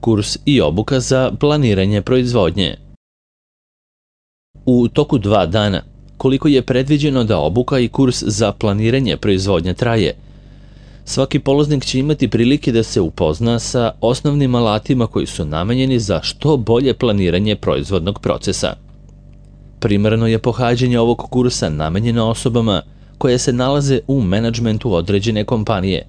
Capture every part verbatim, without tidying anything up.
Kurs i obuka za planiranje proizvodnje. U toku dva dana, koliko je predviđeno da obuka i kurs za planiranje proizvodnje traje, svaki polaznik će imati prilike da se upozna sa osnovnim alatima koji su namenjeni za što bolje planiranje proizvodnog procesa. Primarno je pohađanje ovog kursa namenjeno osobama koje se nalaze u menadžmentu određene kompanije,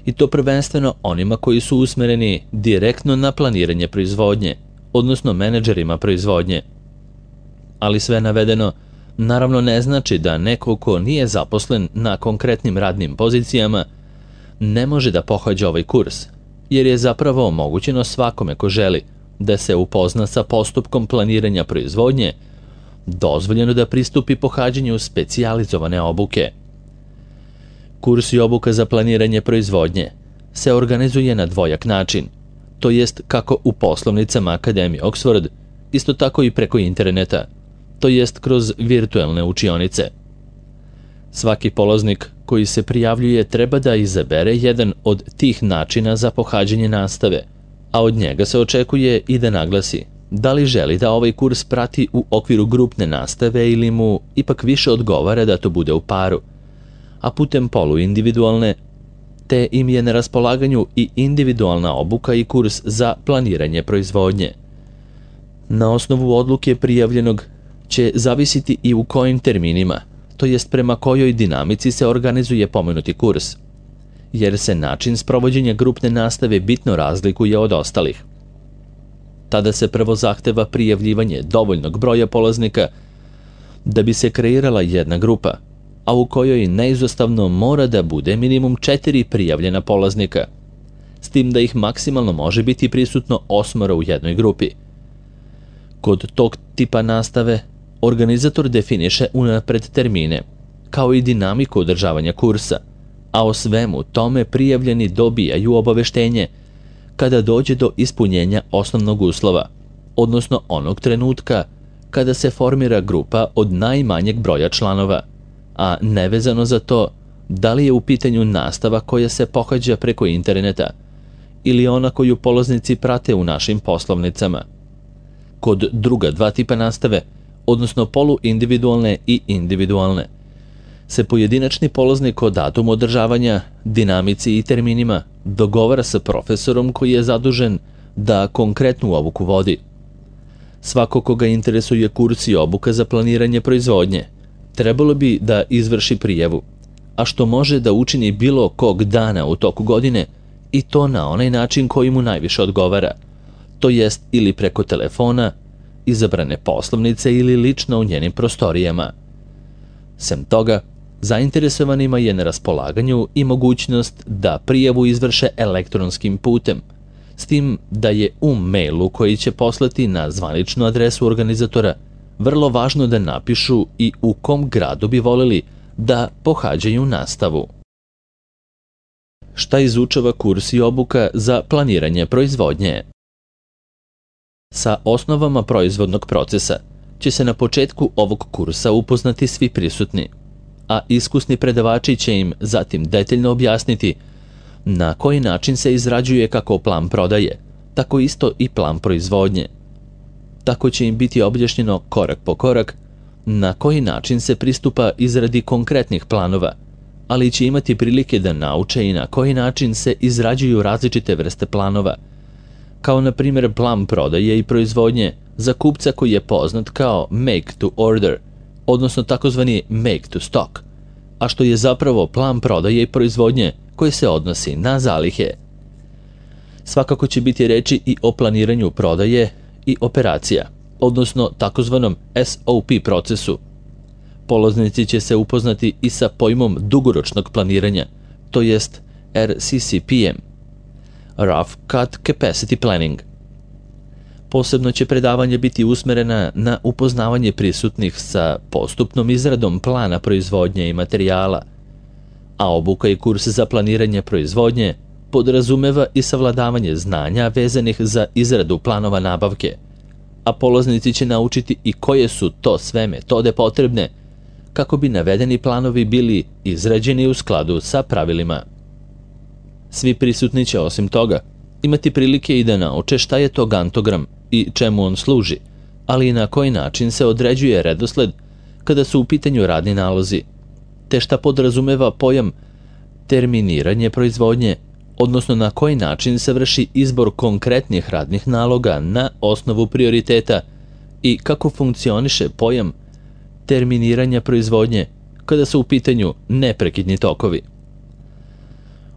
i to prvenstveno onima koji su usmereni direktno na planiranje proizvodnje, odnosno menadžerima proizvodnje. Ali sve navedeno naravno ne znači da neko ko nije zaposlen na konkretnim radnim pozicijama ne može da pohađa ovaj kurs, jer je zapravo omogućeno svakome ko želi da se upozna sa postupkom planiranja proizvodnje, dozvoljeno da pristupi pohađanju specijalizovane obuke. Kurs i obuka za planiranje proizvodnje se organizuje na dvojak način, to jest kako u poslovnicama Akademije Oxford, isto tako i preko interneta, to jest kroz virtuelne učionice. Svaki polaznik koji se prijavljuje treba da izabere jedan od tih načina za pohađanje nastave, a od njega se očekuje i da naglasi da li želi da ovaj kurs prati u okviru grupne nastave ili mu ipak više odgovara da to bude u paru, a putem poluindividualne, te im je na raspolaganju i individualna obuka i kurs za planiranje proizvodnje. Na osnovu odluke prijavljenog će zavisiti i u kojim terminima, to jest prema kojoj dinamici se organizuje pomenuti kurs, jer se način sprovođenja grupne nastave bitno razlikuje od ostalih. Tada se prvo zahteva prijavljivanje dovoljnog broja polaznika da bi se kreirala jedna grupa, a u kojoj neizostavno mora da bude minimum četiri prijavljena polaznika, s tim da ih maksimalno može biti prisutno osmoro u jednoj grupi. Kod tog tipa nastave organizator definiše unapred termine, kao i dinamiku održavanja kursa, a o svemu tome prijavljeni dobijaju obaveštenje kada dođe do ispunjenja osnovnog uslova, odnosno onog trenutka kada se formira grupa od najmanjeg broja članova, a nevezano za to da li je u pitanju nastava koja se pohađa preko interneta ili ona koju polaznici prate u našim poslovnicama. Kod druga dva tipa nastave, odnosno poluindividualne i individualne, se pojedinačni polaznik o datumu održavanja, dinamici i terminima dogovara sa profesorom koji je zadužen da konkretnu obuku vodi. Svako koga interesuje kurs i obuka za planiranje proizvodnje trebalo bi da izvrši prijavu, a što može da učini bilo kog dana u toku godine i to na onaj način koji mu najviše odgovara, to jest ili preko telefona, izabrane poslovnice ili lično u njenim prostorijama. Sem toga, zainteresovanima je na raspolaganju i mogućnost da prijavu izvrše elektronskim putem, s tim da je u mailu koji će poslati na zvaničnu adresu organizatora vrlo važno da napišu i u kom gradu bi voleli da pohađaju nastavu. Šta izučava kurs i obuka za planiranje proizvodnje? Sa osnovama proizvodnog procesa će se na početku ovog kursa upoznati svi prisutni, a iskusni predavači će im zatim detaljno objasniti na koji način se izrađuje kako plan prodaje, tako isto i plan proizvodnje. Tako će im biti objašnjeno korak po korak na koji način se pristupa izradi konkretnih planova, ali će imati prilike da nauče i na koji način se izrađuju različite vrste planova, kao na primjer plan prodaje i proizvodnje za kupca koji je poznat kao make to order, odnosno takozvani make to stock, a što je zapravo plan prodaje i proizvodnje koji se odnosi na zalihe. Svakako će biti reči i o planiranju prodaje i operacija, odnosno takozvanom S O P procesu. Polaznici će se upoznati i sa pojmom dugoročnog planiranja, to jest R C C P M, Rough Cut Capacity Planning. Posebno će predavanje biti usmerena na upoznavanje prisutnih sa postupnom izradom plana proizvodnje i materijala, a obuka i kurs za planiranje proizvodnje podrazumeva i savladavanje znanja vezanih za izradu planova nabavke, a polaznici će naučiti i koje su to sve metode potrebne kako bi navedeni planovi bili izrađeni u skladu sa pravilima. Svi prisutni će osim toga imati prilike i da nauče šta je to gantogram i čemu on služi, ali i na koji način se određuje redosled kada su u pitanju radni nalozi, te šta podrazumeva pojam terminiranje proizvodnje, odnosno na koji način se vrši izbor konkretnih radnih naloga na osnovu prioriteta i kako funkcioniše pojam terminiranja proizvodnje kada su u pitanju neprekidni tokovi.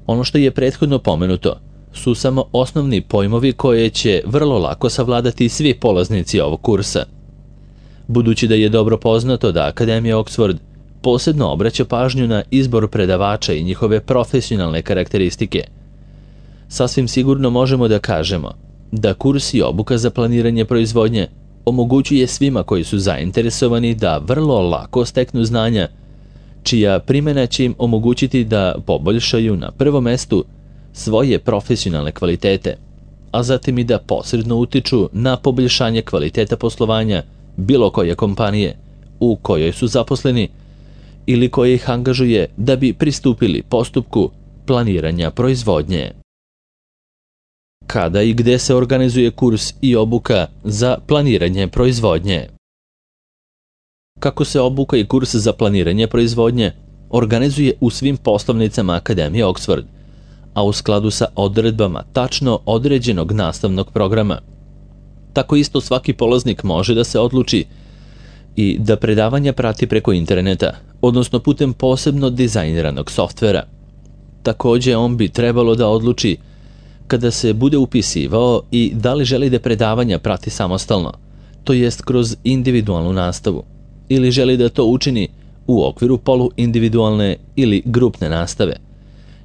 Ono što je prethodno pomenuto su samo osnovni pojmovi koje će vrlo lako savladati svi polaznici ovog kursa. Budući da je dobro poznato da Akademija Oxford posebno obraća pažnju na izbor predavača i njihove profesionalne karakteristike, sasvim sigurno možemo da kažemo da kurs i obuka za planiranje proizvodnje omogućuje svima koji su zainteresovani da vrlo lako steknu znanja, čija primjena će im omogućiti da poboljšaju na prvom mestu svoje profesionalne kvalitete, a zatim i da posredno utiču na poboljšanje kvaliteta poslovanja bilo koje kompanije u kojoj su zaposleni ili koje ih angažuje da bi pristupili postupku planiranja proizvodnje. Kada i gde se organizuje kurs i obuka za planiranje proizvodnje? Kako se obuka i kurs za planiranje proizvodnje organizuje u svim poslovnicama Akademije Oxford, a u skladu sa odredbama tačno određenog nastavnog programa. Tako isto svaki polaznik može da se odluči i da predavanja prati preko interneta, odnosno putem posebno dizajniranog softvera. Takođe, on bi trebalo da odluči kada se bude upisivao i da li želi da predavanja prati samostalno, to jest kroz individualnu nastavu, ili želi da to učini u okviru poluindividualne ili grupne nastave,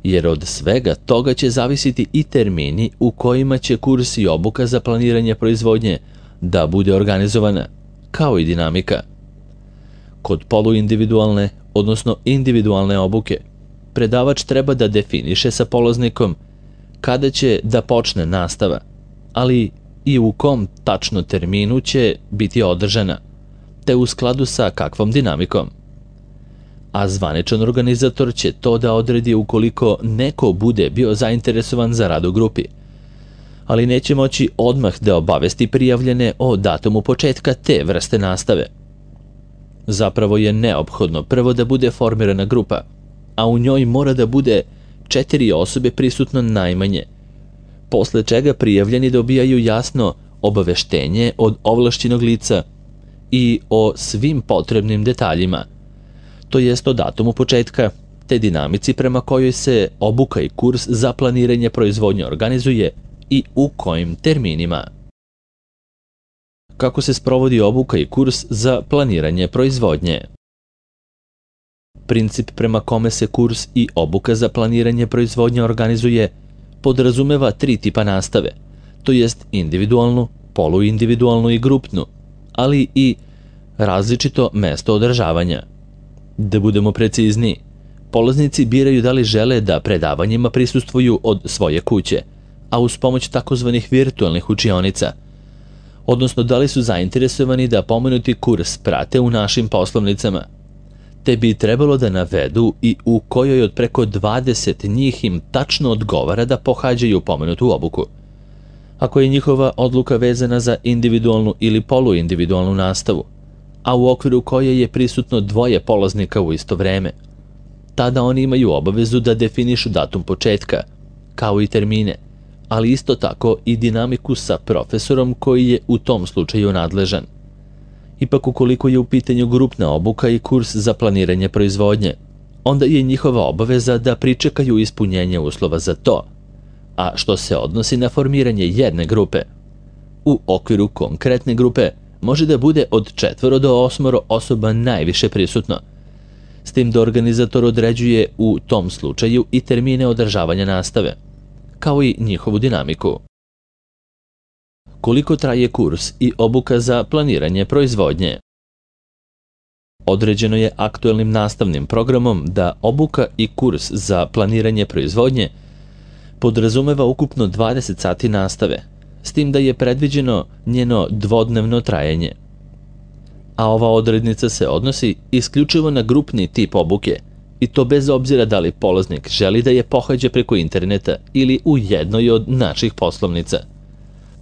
jer od svega toga će zavisiti i termini u kojima će kurs i obuka za planiranje proizvodnje da bude organizovana, kao i dinamika. Kod poluindividualne, odnosno individualne obuke, predavač treba da definiše sa polaznikom kada će da počne nastava, ali i u kom tačno terminu će biti održana, te u skladu sa kakvom dinamikom. A zvaničan organizator će to da odredi ukoliko neko bude bio zainteresovan za rad u grupi, ali neće moći odmah da obavesti prijavljene o datumu početka te vrste nastave. Zapravo je neophodno prvo da bude formirana grupa, a u njoj mora da bude četiri osobe prisutno najmanje, posle čega prijavljeni dobijaju jasno obaveštenje od ovlašćenog lica i o svim potrebnim detaljima, to jest o datumu početka, te dinamici prema kojoj se obuka i kurs za planiranje proizvodnje organizuje i u kojim terminima. Kako se sprovodi obuka i kurs za planiranje proizvodnje? Princip prema kome se kurs i obuka za planiranje proizvodnje organizuje podrazumeva tri tipa nastave, to jest individualnu, poluindividualnu i grupnu, ali i različito mesto održavanja. Da budemo precizniji, polaznici biraju da li žele da predavanjima prisustvuju od svoje kuće, a uz pomoć takozvanih virtualnih učionica, odnosno da li su zainteresovani da pomenuti kurs prate u našim poslovnicama, te bi trebalo da navedu i u kojoj od preko dvadeset njih im tačno odgovara da pohađaju pomenutu obuku. Ako je njihova odluka vezana za individualnu ili poluindividualnu nastavu, a u okviru koje je prisutno dvoje polaznika u isto vreme, tada oni imaju obavezu da definišu datum početka, kao i termine, ali isto tako i dinamiku sa profesorom koji je u tom slučaju nadležan. Ipak ukoliko je u pitanju grupna obuka i kurs za planiranje proizvodnje, onda je njihova obaveza da pričekaju ispunjenje uslova za to, a što se odnosi na formiranje jedne grupe. U okviru konkretne grupe može da bude od četvoro do osmoro osoba najviše prisutno, s tim da organizator određuje u tom slučaju i termine održavanja nastave, kao i njihovu dinamiku. Koliko traje kurs i obuka za planiranje proizvodnje? Određeno je aktuelnim nastavnim programom da obuka i kurs za planiranje proizvodnje podrazumeva ukupno dvadeset sati nastave, s tim da je predviđeno njeno dvodnevno trajanje. A ova odrednica se odnosi isključivo na grupni tip obuke I to bez obzira da li polaznik želi da je pohađa preko interneta ili u jednoj od naših poslovnica.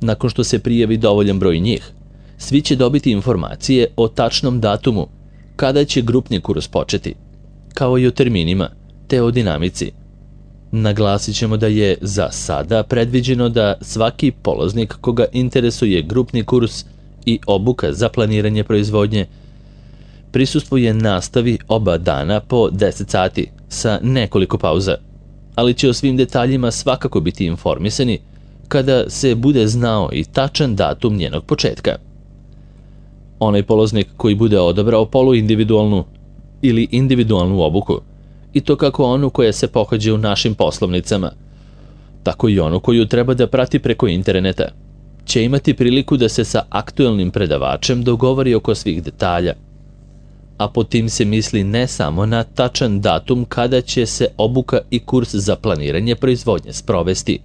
Nakon što se prijavi dovoljan broj njih, svi će dobiti informacije o tačnom datumu kada će grupni kurs početi, kao i o terminima, te o dinamici. Naglasit ćemo da je za sada predviđeno da svaki polaznik koga interesuje grupni kurs i obuka za planiranje proizvodnje prisustvuje nastavi oba dana po deset sati sa nekoliko pauza, ali će o svim detaljima svakako biti informisani kada se bude znao i tačan datum njenog početka. Onaj polaznik koji bude odabrao poluindividualnu ili individualnu obuku, i to kako onu koja se pohađa u našim poslovnicama, tako i onu koju treba da prati preko interneta, će imati priliku da se sa aktuelnim predavačem dogovori oko svih detalja. A po tim se misli ne samo na tačan datum kada će se obuka i kurs za planiranje proizvodnje sprovesti,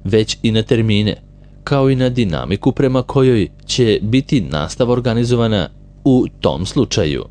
već i na termine, kao i na dinamiku prema kojoj će biti nastava organizovana u tom slučaju.